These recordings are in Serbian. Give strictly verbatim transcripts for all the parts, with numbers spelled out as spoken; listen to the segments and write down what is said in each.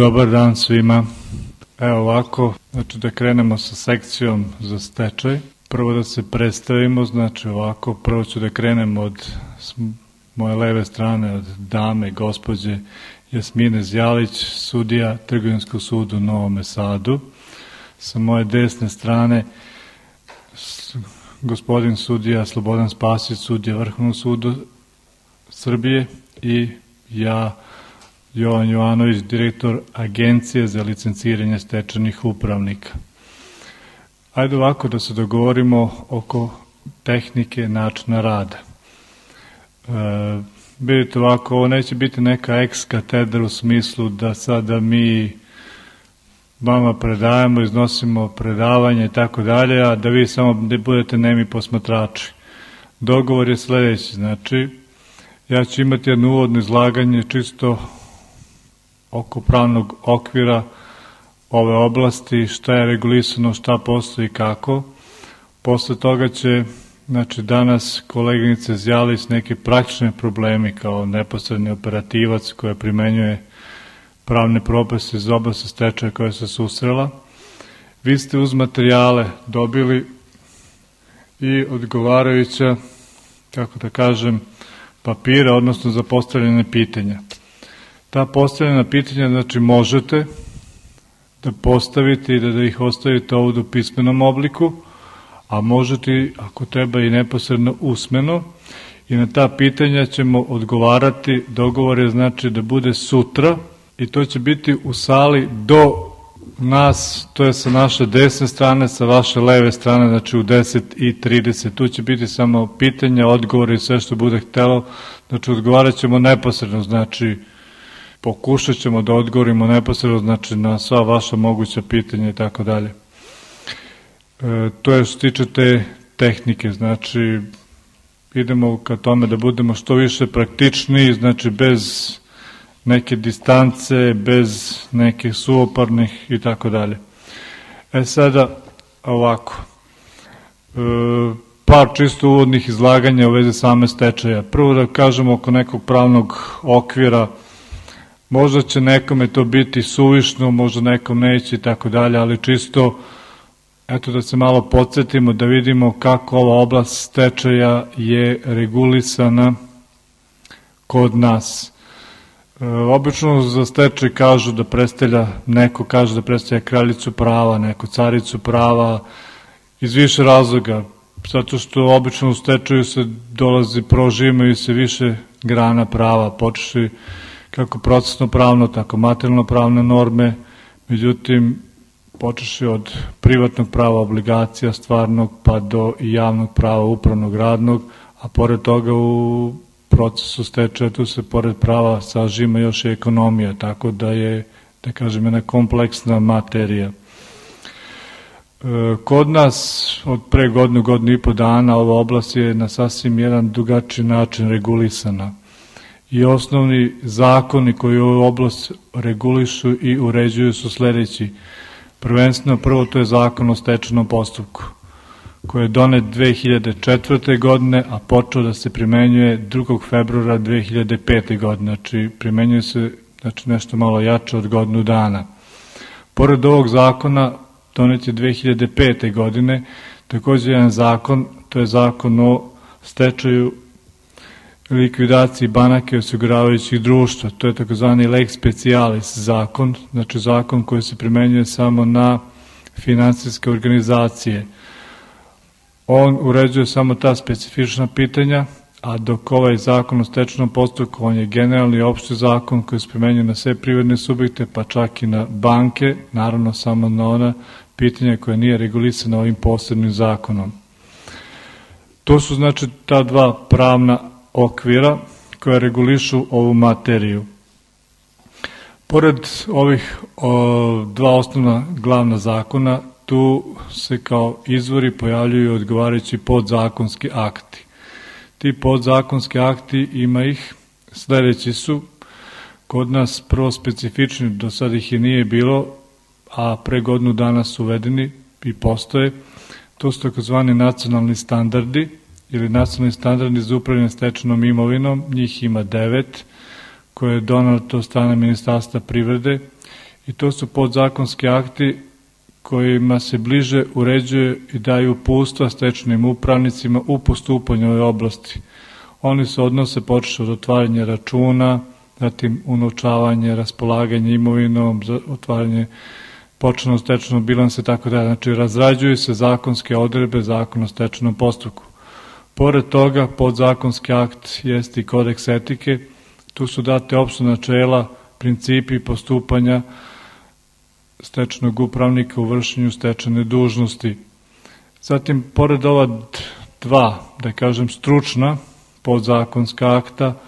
Dobar dan svima. Evo ovako, znači da krenemo sa sekcijom za stečaj. Prvo da se predstavimo, znači ovako, prvo ću da krenem od moje leve strane, od dame, gospođe Jasmine Zjalić, sudija Trgovinskog suda u Novom Sadu. Sa moje desne strane gospodin sudija Slobodan Spasić, sudija Vrhovnog suda Srbije, i ja, Jovan Jovanović, direktor Agencije za licenciranje stečajnih upravnika. Ajde ovako da se dogovorimo oko tehnike načina rada. E, vidite ovako, ovo neće biti neka ex katedra u smislu da sada mi vama predajemo, iznosimo predavanje i tako dalje, a da vi samo ne budete nemi posmatrači. Dogovor je sledeći, znači ja ću imati jedno uvodno izlaganje čisto oko pravnog okvira ove oblasti, šta je regulisano, šta postoji i kako. Posle toga će, znači danas koleginice Zjalić neke praktične problemi kao neposredni operativac koja primenjuje pravne propise iz oblasti stečaja koja se susrela. Vi ste uz materijale dobili i odgovarajuća, kako da kažem, papira, odnosno za postavljene pitanja. Ta postavljena pitanja, znači, možete da postavite i da, da ih ostavite ovdje u pismenom obliku, a možete, ako treba, i neposredno usmeno, i na ta pitanja ćemo odgovarati. Dogovor je, znači, da bude sutra, i to će biti u sali do nas, to je sa naše desne strane, sa vaše leve strane, znači u deset i trideset. Tu će biti samo pitanja, odgovori i sve što bude htelo. Znači odgovarat ćemo neposredno, znači pokušat ćemo da odgovorimo neposredno, znači na sva vaša moguća pitanja i tako dalje. To je što tiče te tehnike, znači idemo ka tome da budemo što više praktičniji, znači bez neke distance, bez nekih suoparnih i tako dalje. E sada ovako, e, par čisto uvodnih izlaganja u vezi same stečaja. Prvo da kažemo oko nekog pravnog okvira, možda će nekome to biti suvišno, možda nekom neće i tako dalje, ali čisto eto da se malo podsjetimo, da vidimo kako ova oblast stečaja je regulisana kod nas. E, obično za stečaj kažu da predstavlja, neko kaže da predstavlja kraljicu prava, neko caricu prava, iz više razloga, zato što obično u stečaju se dolazi, prožimaju se više grana prava, počeši kako procesno pravno, tako materijalno pravne norme, međutim počeši od privatnog prava, obligacija, stvarnog, pa do javnog prava, upravnog, radnog, a pored toga u procesu stečaja tu se pored prava sažima još i ekonomija, tako da je, da kažem, jedna kompleksna materija. Kod nas od pre godinu, godinu i po dana ova oblast je na sasvim jedan drugačiji način regulisana. I osnovni zakoni koji ovu oblast regulišu i uređuju su sledeći. Prvenstveno, prvo to je zakon o stečajnom postupku, koji je donet dve hiljade četvrte. godine, a počeo da se primenjuje drugog februara dve hiljade pete. godine, znači primenjuje se, znači, nešto malo jače od godinu dana. Pored ovog zakona, donet je dve hiljade pete. godine, također jedan zakon, to je zakon o stečaju, likvidaciji banaka i osiguravajućih društva, to je takozvani lex specialis zakon, znači zakon koji se primenjuje samo na finansijske organizacije. On uređuje samo ta specifična pitanja, a dok ovaj zakon o stečajnom postupku, on je generalni i opšti zakon koji se primenjuje na sve privredne subjekte, pa čak i na banke, naravno samo na ona pitanja koja nije regulisana ovim posebnim zakonom. To su, znači, ta dva pravna okvira koja regulišu ovu materiju. Pored ovih o, dva osnovna glavna zakona, tu se kao izvori pojavljuju odgovarajući podzakonski akti. Ti podzakonski akti, ima ih, sledeći su, kod nas prvo specifični, do sada ih je nije bilo, a pre godinu dana su uvedeni i postoje. To su takozvani nacionalni standardi, ili nacionalni standardi za upravljanje stečajnom imovinom, njih ima devet, koje je donato od strane Ministarstva privrede i to su podzakonski akti kojima se bliže uređuje i daju uputstva stečajnim upravnicima u postupanju ove oblasti. Oni se odnose počeši od otvaranja računa, zatim unovčavanje, raspolaganje imovinom, otvaranje početnog stečajnog bilansa i tako dalje. Znači, razrađuju se zakonske odredbe Zakona o stečajnom postupku. Pored toga, podzakonski akt jeste i kodeks etike. Tu su date opšte načela, principi postupanja stečajnog upravnika u vršenju stečajne dužnosti. Zatim, pored ova dva, da kažem, stručna podzakonska akta,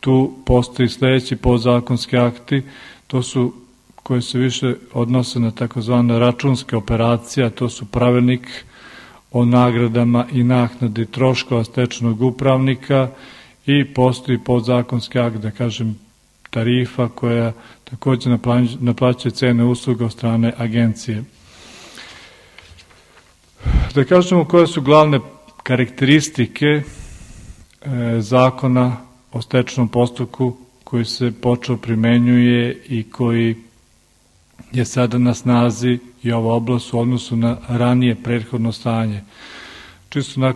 tu postoji sledeći podzakonski akti, to su koji se više odnose na takozvane računske operacije, a to su pravilnik o nagradama i naknadi troškova stečajnog upravnika i postoji podzakonski akt, da kažem, tarifa koja takođe naplaćuje cene usluga od strane agencije. Da kažemo koje su glavne karakteristike Zakona o stečajnom postupku koji se počeo primenjuje i koji je sada na snazi i ova oblast u odnosu na ranije prethodno stanje. Čisto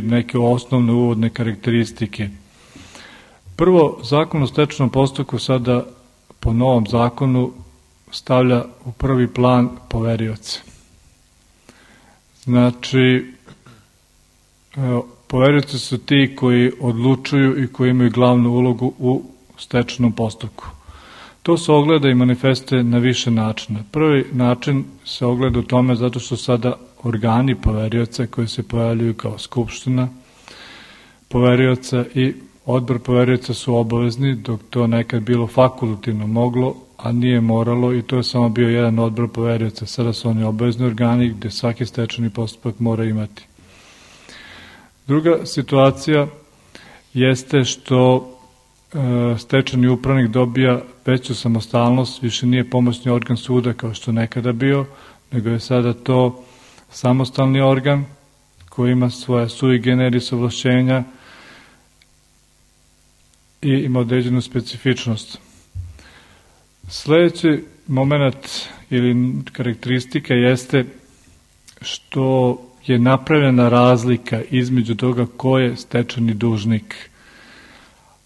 neke osnovne uvodne karakteristike. Prvo, Zakon o stečajnom postupku sada po novom zakonu stavlja u prvi plan poverioce. Znači, poverioci su ti koji odlučuju i koji imaju glavnu ulogu u stečajnom postupku. To se ogleda i manifestuje na više načina. Prvi način se ogleda u tome zato što sada organi poverioca koji se pojavljuju kao skupština poverioca i odbor poverioca su obavezni, dok to nekad bilo fakultativno moglo, a nije moralo i to je samo bio jedan odbor poverioca. Sada su oni obavezni organi gde svaki stečajni postupak mora imati. Druga situacija jeste što e, stečajni upravnik dobija veću samostalnost, više nije pomoćni organ suda kao što nekada bio, nego je sada to samostalni organ koji ima svoje sui generis ovlašćenja i ima određenu specifičnost. Sledeći moment ili karakteristika jeste što je napravljena razlika između toga ko je stečajni dužnik.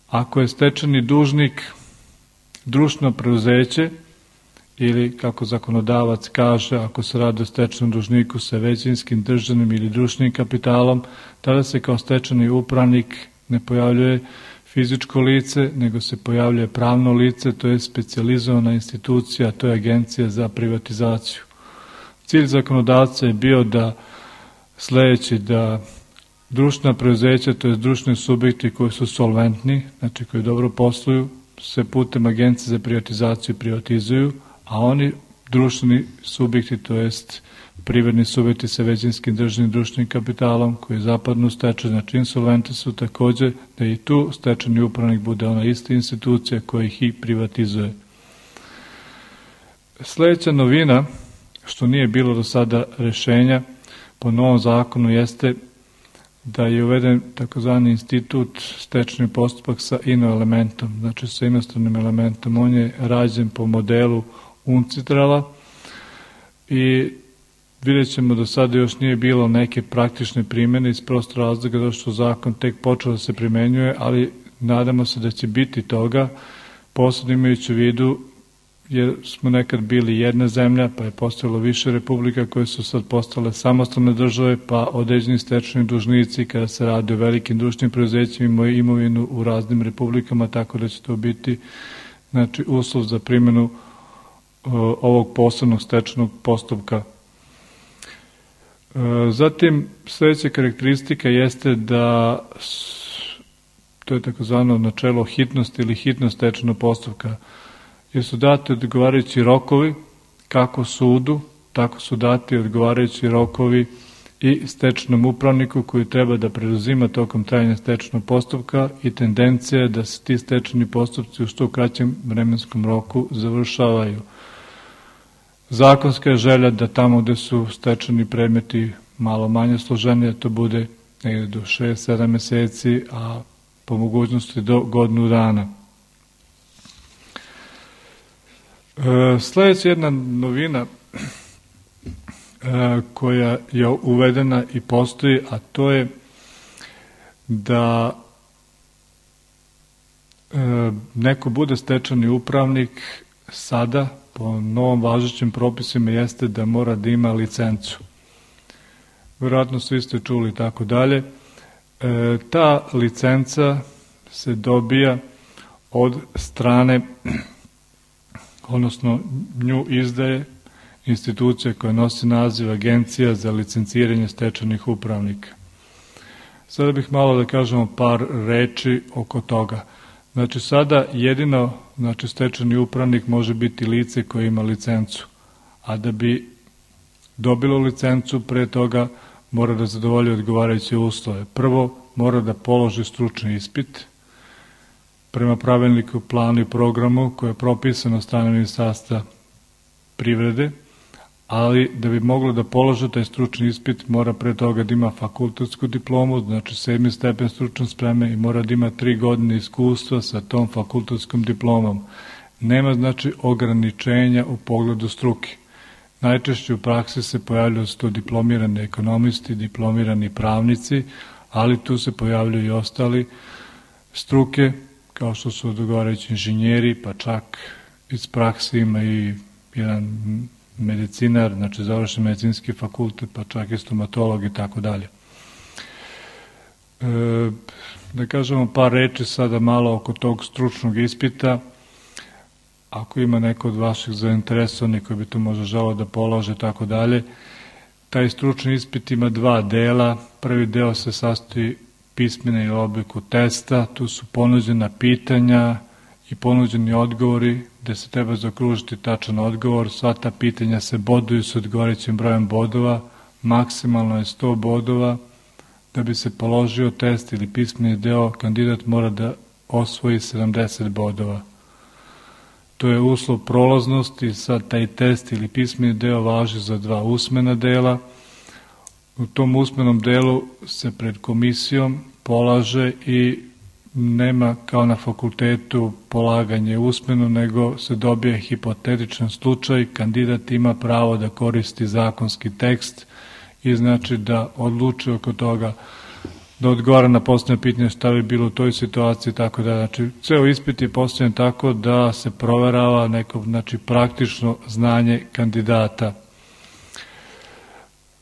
Ako je stečajni dužnik društveno preuzeće ili, kako zakonodavac kaže, ako se radi o stečajnom dužniku sa većinskim državnim ili društvenim kapitalom, tada se kao stečajni upravnik ne pojavljuje fizičko lice, nego se pojavljuje pravno lice, to je specijalizovana institucija, to je Agencija za privatizaciju. Cilj zakonodavca je bio da sledeći da društvena preuzeća, to je društveni subjekti koji su solventni, znači koji dobro posluju, se putem Agencije za privatizaciju privatizuju, a oni društveni subjekti, to jest privredni subjekti sa većinskim državnim društvenim kapitalom koji zapadnu u stečaj, znači insolventni su takođe da i tu stečajni upravnik bude ona ista institucija koja ih i privatizuje. Sledeća novina, što nije bilo do sada rešenja po novom zakonu, jeste da je uveden takozvani institut stečajni postupak sa ino elementom, znači sa inostranim elementom. On je rađen po modelu UNCITRAL-a i vidjet ćemo da sada još nije bilo neke praktične primjene iz prostog razloga zato što zakon tek počeo da se primenjuje, ali nadamo se da će biti toga, posebno imajući u vidu jer smo nekad bili jedna zemlja, pa je postojalo više republika koje su sad postale samostalne države, pa određeni stečajni dužnici kada se radi o velikim društvenim preduzećima imaju imovinu u raznim republikama, tako da će to biti znači, uslov za primjenu ovog posebnog stečajnog postupka. Zatim, sledeća karakteristika jeste da to je takozvano načelo hitnosti ili hitnost stečajnog postupka, jer su dati odgovarajući rokovi kako sudu, tako su dati odgovarajući rokovi i stečajnom upravniku koji treba da preduzima tokom trajanja stečajnog postupka i tendencija je da se ti stečajni postupci u što kraćem vremenskom roku završavaju. Zakonska je želja da tamo gde su stečajni predmeti malo manje složeni, da to bude negde do šest sedam meseci, a po mogućnosti do godinu dana. Sljedeća jedna novina koja je uvedena i postoji, a to je da neko bude stečajni upravnik sada, po novom važećim propisima, jeste da mora da ima licencu. Vjerojatno svi ste čuli i tako dalje. Ta licenca se dobija od strane, odnosno nju izdaje institucija koja nosi naziv Agencija za licenciranje stečajnih upravnika. Sada bih malo da kažemo par reči oko toga. Znači sada jedino, znači stečajni upravnik može biti lice koje ima licencu, a da bi dobilo licencu pre toga mora da zadovolji odgovarajuće uslove. Prvo mora da položi stručni ispit prema pravilniku, planu i programu koje je propisano od strane Ministarstva privrede, ali da bi moglo da položi taj stručni ispit mora pre toga da ima fakultetsku diplomu, znači sedmi stepen stručne spreme, i mora da ima tri godine iskustva sa tom fakultetskom diplomom. Nema znači ograničenja u pogledu struke. Najčešće u praksi se pojavljaju sto diplomirani ekonomisti, diplomirani pravnici, ali tu se pojavljaju i ostali struke, kao što su odgovarajući inženjeri, pa čak iz praksi ima i jedan medicinar, znači završen medicinski fakultet, pa čak i stomatolog i tako dalje. Da kažemo par reči sada malo oko tog stručnog ispita. Ako ima neko od vaših zainteresovanih koji bi to možda želeo da polože i tako dalje, taj stručni ispit ima dva dela. Prvi deo se sastoji pismene ili obliku testa, tu su ponuđena pitanja i ponuđeni odgovori gde se treba zaokružiti tačan odgovor. Sva ta pitanja se boduju s odgovarajućim brojem bodova, maksimalno je sto bodova. Da bi se položio test ili pismeni deo, kandidat mora da osvoji sedamdeset bodova. To je uslov prolaznosti. Sad taj test ili pismeni deo važi za dva usmena dela. U tom usmenom delu se pred komisijom polaže i nema kao na fakultetu polaganje usmeno, nego se dobije hipotetičan slučaj, kandidat ima pravo da koristi zakonski tekst i znači da odluči oko toga, da odgovara na postavljeno pitanje šta bi bilo u toj situaciji, tako da, znači, ceo ispit je postavljen tako da se proverava neko, znači, praktično znanje kandidata.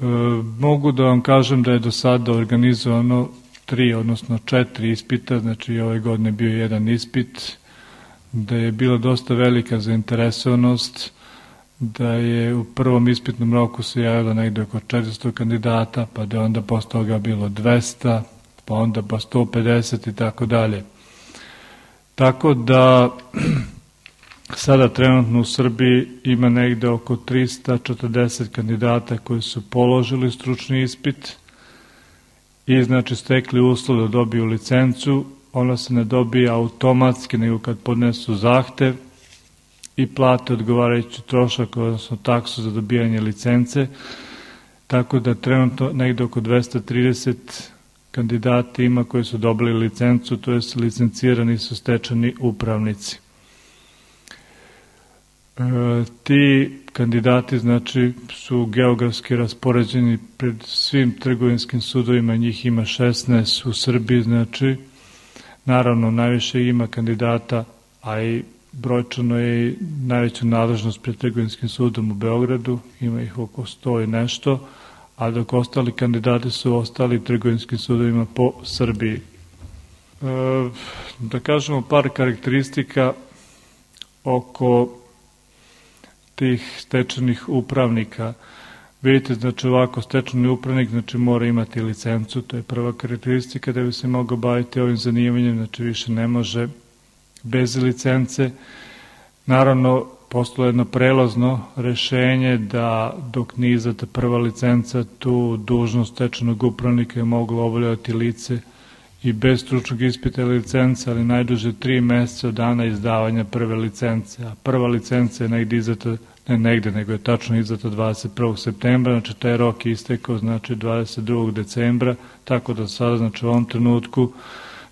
E, mogu da vam kažem da je do sada organizovano tri, odnosno četiri ispita, znači ove godine bio jedan ispit, da je bila dosta velika zainteresovanost, da je u prvom ispitnom roku se javilo negde oko četiristo kandidata, pa da je onda posle toga bilo dvesta, pa onda pa sto pedeset i tako dalje. Tako da sada trenutno u Srbiji ima negde oko trista četrdeset kandidata koji su položili stručni ispit i znači stekli uslov da dobiju licencu. Ona se ne dobija automatski, nego kad podnesu zahtev i plate odgovarajući trošak, odnosno taksu za dobijanje licence, tako da trenutno negde oko dvesta trideset kandidati ima koji su dobili licencu, to je licencirani su stečajni upravnici. E, ti kandidati znači su geografski raspoređeni pred svim trgovinskim sudovima, njih ima šesnaest u Srbiji, znači naravno najviše ima kandidata, a i brojčano je i najveća nadležnost pred trgovinskim sudom u Beogradu, ima ih oko sto i nešto, a dok ostali kandidati su ostali trgovinskim sudovima po Srbiji. E, da kažemo par karakteristika oko tih stečajnih upravnika. Vidite, znači ovako, stečajni upravnik znači mora imati licencu, to je prva karakteristika da bi se mogao baviti ovim zanimanjem, znači više ne može bez licence. Naravno, postalo jedno prelazno rešenje da dok nije izdata prva licenca, tu dužnost stečajnog upravnika je moglo obavljati lice i bez stručnog ispita ili licence, ali najduže tri meseca od dana izdavanja prve licence. A prva licenca je negde izdata, ne negde, nego je tačno izdata dvadeset prvog septembra, znači taj rok je istekao, znači dvadeset drugog decembra, tako da sada, znači u ovom trenutku,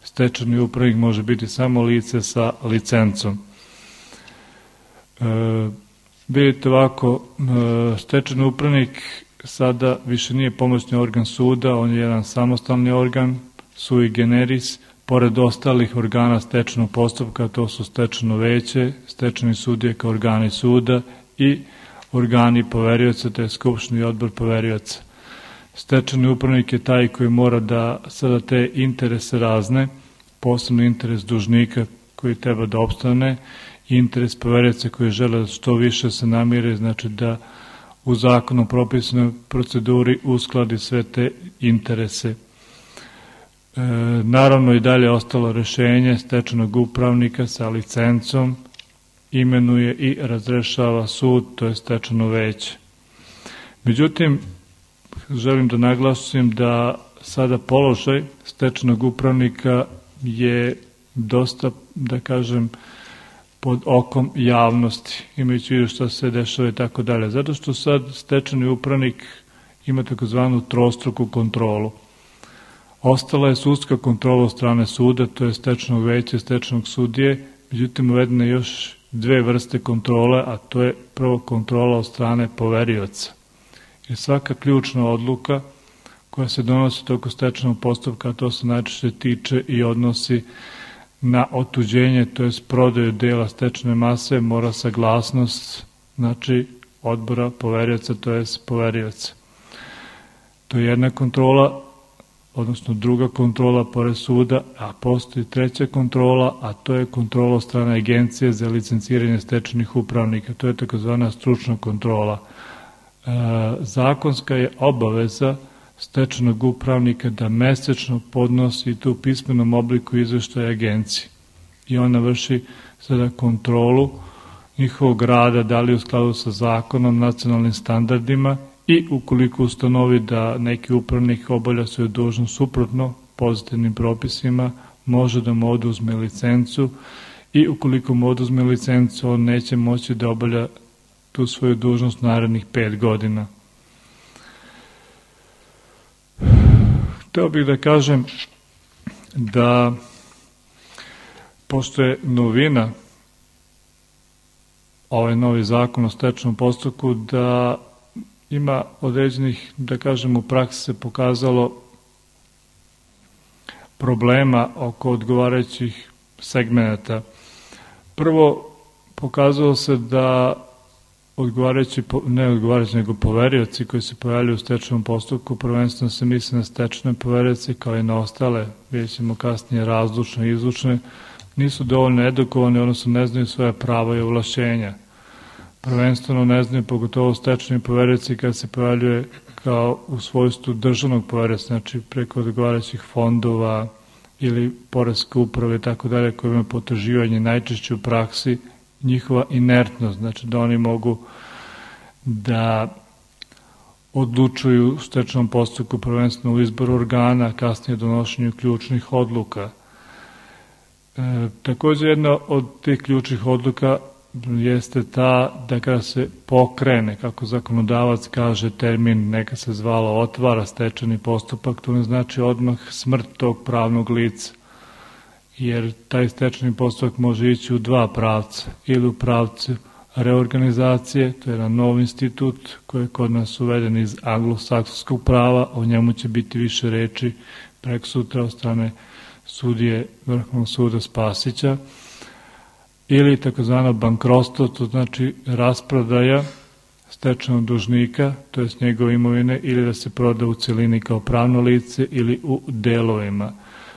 stečajni upravnik može biti samo lice sa licencom. E, Vidite ovako, stečajni upravnik sada više nije pomoćni organ suda, on je jedan samostalni organ, sui generis, pored ostalih organa stečajnog postupka, to su stečajno veće, stečajni sudije kao organi suda i organi poverioca, to je skupštini odbor poverioca. Stečajni upravnik je taj koji mora da sada te interese razne, posebno interes dužnika koji treba da opstane, interes poverioca koji žele da što više se namire, znači da u zakonom propisanoj proceduri uskladi sve te interese. E, naravno i dalje ostalo rešenje stečajnog upravnika sa licencom imenuje i razrešava sud, to je stečajno veće. Međutim, želim da naglasim da sada položaj stečajnog upravnika je dosta, da kažem, pod okom javnosti, imajući vidio šta se dešava i tako dalje. Zato što sad stečajni upravnik ima takozvanu trostruku kontrolu. Ostala je sudska kontrola od strane suda, to je stečajnog veća i stečajnog sudije, međutim uvedene još dve vrste kontrole, a to je prvo kontrola od strane poverioca. Jer svaka ključna odluka koja se donosi toko stečajnog postupka, to se najčešće tiče i odnosi na otuđenje, to je prodaju dela stečajne mase, mora saglasnost, znači odbora poverioca, to je poverioca. To je jedna kontrola, odnosno druga kontrola pored suda, a postoji treća kontrola, a to je kontrola od strane agencije za licenciranje stečajnih upravnika, to je takozvana stručna kontrola. E, zakonska je obaveza stečajnog upravnika da mesečno podnosi tu u pismenom obliku izveštaja agenciji i ona vrši sada kontrolu njihovog rada, da li u skladu sa zakonom, nacionalnim standardima i ukoliko ustanovi da neki upravnik obavlja svoju dužnost suprotno pozitivnim propisima, može da mu oduzme licencu i ukoliko mu oduzme licencu, on neće moći da obavlja tu svoju dužnost narednih pet godina. Hteo bih da kažem da pošto je novina ovaj novi zakon o stečajnom postupku, da ima određenih, da kažem, u praksi se pokazalo problema oko odgovarajućih segmenata. Prvo, pokazalo se da odgovarajući, ne odgovarajući, nego poverioci koji se pojavljaju u stečajnom postupku, prvenstveno se misli na stečajne poverioci kao i na ostale, vidjet ćemo kasnije razlučne i izlučne, nisu dovoljno edukovani, odnosno ne znaju svoje prava i ovlašćenja. Prvenstveno ne znaju, pogotovo stečajni poverioci kad se pojavljuje kao u svojstvu državnog poverioca, znači preko odgovarajućih fondova ili poreske uprave i tako dalje, koji imaju potraživanje najčešće u praksi, njihova inertnost, znači da oni mogu da odlučuju u stečajnom postupku prvenstveno u izboru organa, kasnije donošenju ključnih odluka. E, također jedna od tih ključnih odluka jeste ta da kada se pokrene, kako zakonodavac kaže termin, neka se zvalo otvara stečajni postupak, to ne znači odmah smrt tog pravnog lica, jer taj stečajni postupak može ići u dva pravca, ili u pravcu reorganizacije, to je jedan nov institut koji je kod nas uveden iz anglosaksonskog prava, o njemu će biti više reči prek sutra od strane sudije Vrhovnog suda Spasića, ili takozvano bankrotstvo, to znači rasprodaja stečajnog dužnika, to je s njegove imovine, ili da se proda u celini kao pravno lice ili u delovima.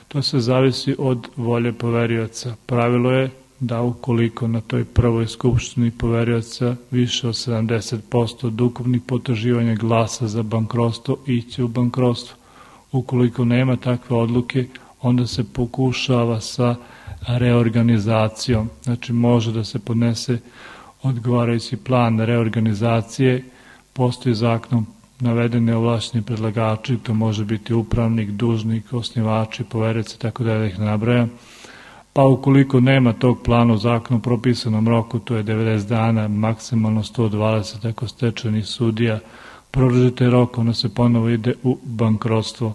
To se zavisi od volje poverioca. Pravilo je da ukoliko na toj prvoj skupštini poverioca više od sedamdeset posto od ukupnih potraživanja glasa za bankrotstvo, iće u bankrotstvo. Ukoliko nema takve odluke, onda se pokušava sa reorganizacijom. Znači može da se podnese odgovarajući plan reorganizacije, postoji zakonom navedene ovlašćeni predlagači, to može biti upravnik, dužnik, osnivači, poverioci, tako da ih nabrajam. Pa ukoliko nema tog plana u zakonu propisanom roku, to je devedeset dana, maksimalno sto dvadeset, ako stečajni sudija produžite rok, onda se ponovo ide u bankrotstvo.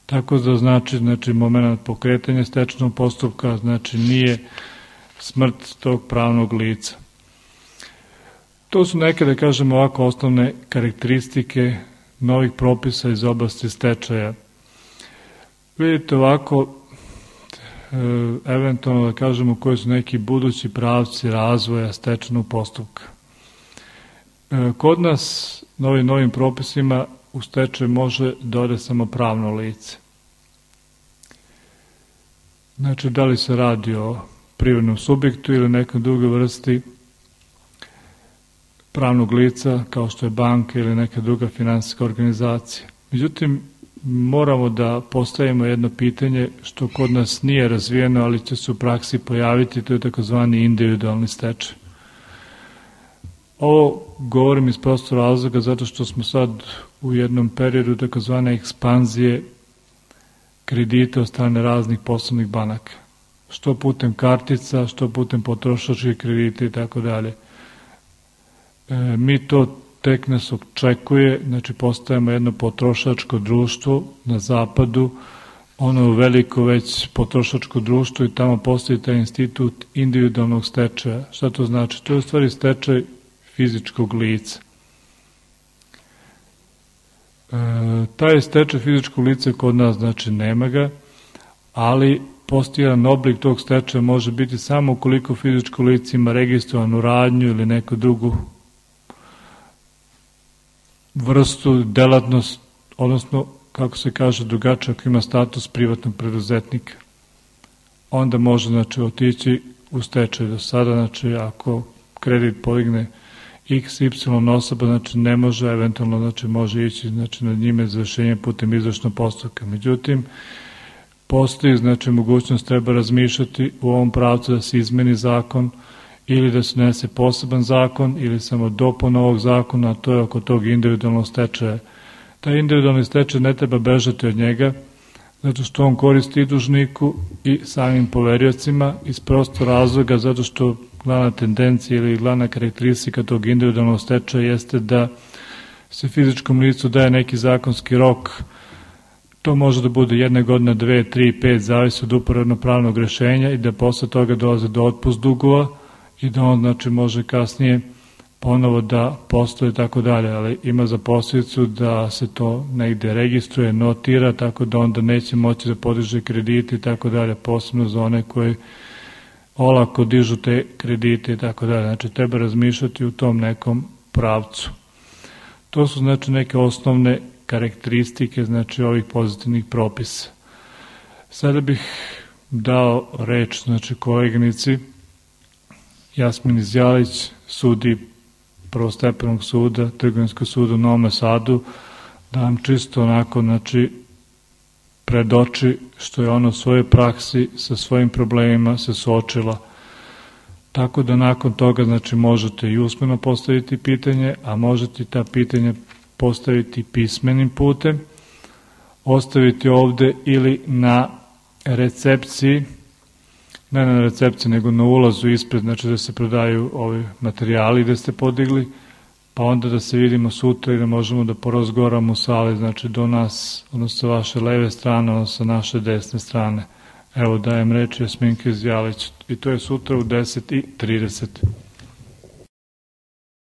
Tako da znači, znači moment pokretanja stečajnog postupka, znači nije smrt tog pravnog lica. To su neke, da kažemo ovako, osnovne karakteristike novih propisa iz oblasti stečaja. Vidite ovako, eventualno da kažemo koji su neki budući pravci razvoja stečajnog postupka. Kod nas novim novim propisima u stečaj može da ode samo pravno lice. Znači, da li se radi o privrednom subjektu ili nekoj drugoj vrsti pravnog lica, kao što je banka ili neka druga finansijska organizacija. Međutim, moramo da postavimo jedno pitanje što kod nas nije razvijeno, ali će se u praksi pojaviti, to je takozvani individualni stečaj. Ovo govorim iz prostog razloga zato što smo sad u jednom periodu takozvane ekspanzije kredita od strane raznih poslovnih banaka. Što putem kartica, što putem potrošačkih kredita i tako dalje. Mi to tek nas očekuje, znači postajemo jedno potrošačko društvo na zapadu, ono veliko već potrošačko društvo i tamo postoji taj institut individualnog stečaja. Šta to znači? To je u stvari stečaj fizičkog lica. E, taj stečaj fizičkog lica kod nas znači nema ga, ali postoji jedan oblik tog stečaja može biti samo ukoliko fizičko lice ima registrovanu radnju ili neku drugu vrstu, delatnost, odnosno, kako se kaže, drugačije ako ima status privatnog preduzetnika. Onda može, znači, otići u stečaj. Do sada, znači, ako kredit podigne x y osoba, znači, ne može, eventualno, znači, može ići, znači, na njime izvršenje putem izvršnog postupka. Međutim, postoji, znači, mogućnost treba razmišljati u ovom pravcu da se izmeni zakon ili da se nese poseban zakon ili samo dopuna ovog zakona, a to je oko tog individualnog stečaja. Taj individualni stečaj ne treba bežati od njega, zato što on koristi i dužniku i samim poveriocima iz prostog razloga, zato što glavna tendencija ili glavna karakteristika tog individualnog stečaja jeste da se fizičkom licu daje neki zakonski rok. To može da bude jedne godine, dve, tri, pet, zavisi od uporedno pravnog rešenja i da posle toga dolaze do otpust dugova i da on, znači, može kasnije ponovo da postoje tako dalje, ali ima za posljedicu da se to negde registruje, notira, tako da onda neće moći da podiže kredite i tako dalje, posebno za one koji olako dižu te kredite i tako dalje. Znači, treba razmišljati u tom nekom pravcu. To su, znači, neke osnovne karakteristike, znači, ovih pozitivnih propisa. Sada bih dao reč, znači, koleginici Jasmini Zjalić, sudi prvostepenog suda, Trgovinskog suda u Novom Sadu, da vam čisto onako, znači, predoči što je ona u svojoj praksi sa svojim problemima se suočila. Tako da nakon toga, znači, možete i usmeno postaviti pitanje, a možete ta pitanja postaviti pismenim putem, ostaviti ovde ili na recepciji, ne na recepciji, nego na ulazu ispred, znači da se prodaju ovi materijali gde ste podigli, pa onda da se vidimo sutra i da možemo da porazgovaramo u sali, znači do nas, odnosno sa vaše leve strane, odnosno sa naše desne strane. Evo, dajem reč Jasminki Zjalić i to je sutra u deset i trideset.